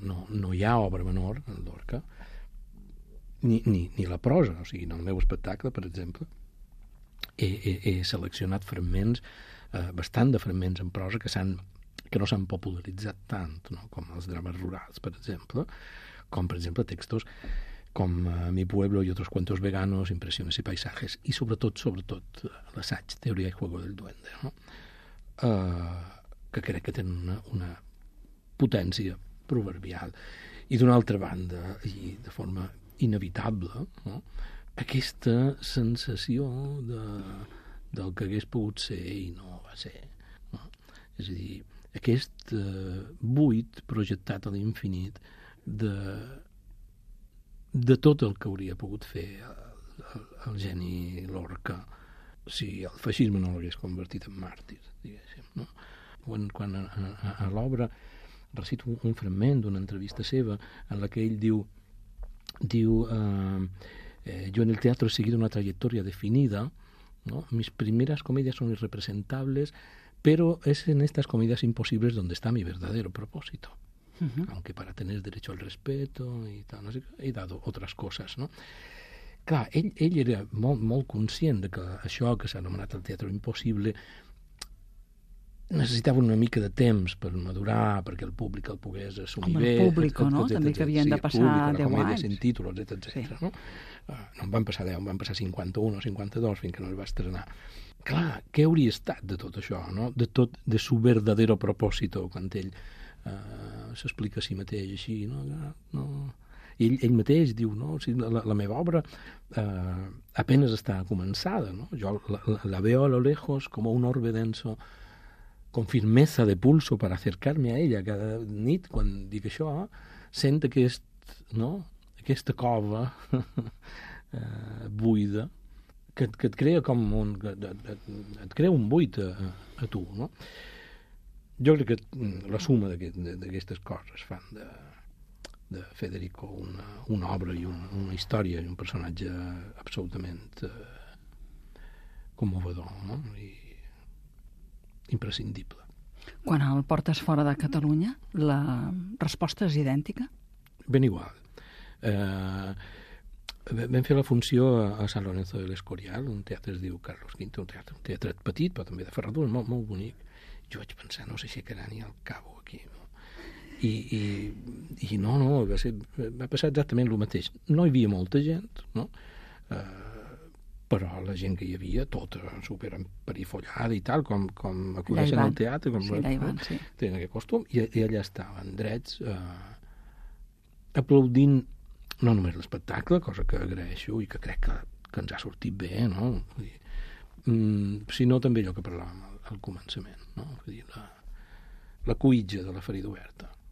no hi ha obra menor en Lorca, ni la prosa. O sigui, en el meu espectacle, per exemple, he seleccionat fragments, bastant de fragments en prosa que no s'han popularitzat tant, no? Com els drames rurals, per exemple, com, per exemple, textos com Mi pueblo y otros cuentos veganos, Impresiones y paisajes, i sobretot l'assaig Teoria y juego del duende, no? Que crec que tenen una potència proverbial. I d'una altra banda, i de forma inevitable, no? Aquesta sensació del que hagués pogut ser i no va ser, no? És a dir, aquest buit projectat a l'infinit de tot el que hauria pogut fer el geni Lorca si el feixisme no l'hagués convertit en màrtir, diguéssim, no? Quan a l'obra recito un fragment d'una entrevista seva en la que ell diu yo en el teatro he seguido una trayectoria definida, ¿no? Mis primeras comedias son irrepresentables, pero es en estas comedias imposibles donde está mi verdadero propósito. Aunque para tener derecho al respeto y tal, no sé, he dado otras cosas, no? Clar, ell era molt conscient de que això que s'ha anomenat el teatre impossible necessitava una mica de temps per madurar, perquè el públic el pogués assumir bé. Com el públic, no? També que havien de passar 10 anys. Sin títulos, etc. No en van passar 10, en van passar 51 o 52 fins que no es va estrenar. Clar, què hauria estat de tot això, no? De su verdadero propósito, quan ell s'explica a si mateix així, no? Ell mateix diu, no? O sigui, la meva obra apenas està començada, no? Jo la veo a lo lejos como un orbe denso con firmeza de pulso para acercarme a ella cada nit. Quan dic això, sent aquesta cova buida que et crea com et crea un buit a tu, no? Jo crec que la suma d'aquestes coses fan de Federico una obra i una història i un personatge absolutament commovedor, no? I imprescindible. Quan el portes fora de Catalunya, la resposta és idèntica? Ben igual. Vam fer la funció a San Lorenzo del Escorial, un teatre es diu Carlos V, un teatre petit, però també de ferradura, molt bonic. Jo vaig pensar, no sé si quedarà ni al cabo aquí, no? I no, va passar exactament el mateix. No hi havia molta gent, no? Però la gent que hi havia, tota super emperifollada i tal, com acudeixen al teatre, com sí. Tenen aquest costum, i allà estaven drets aplaudint no només l'espectacle, cosa que agraeixo i que crec que ens ha sortit bé, no? Sinó també allò que parlàvem al començament, no? La cuitja de la ferida oberta.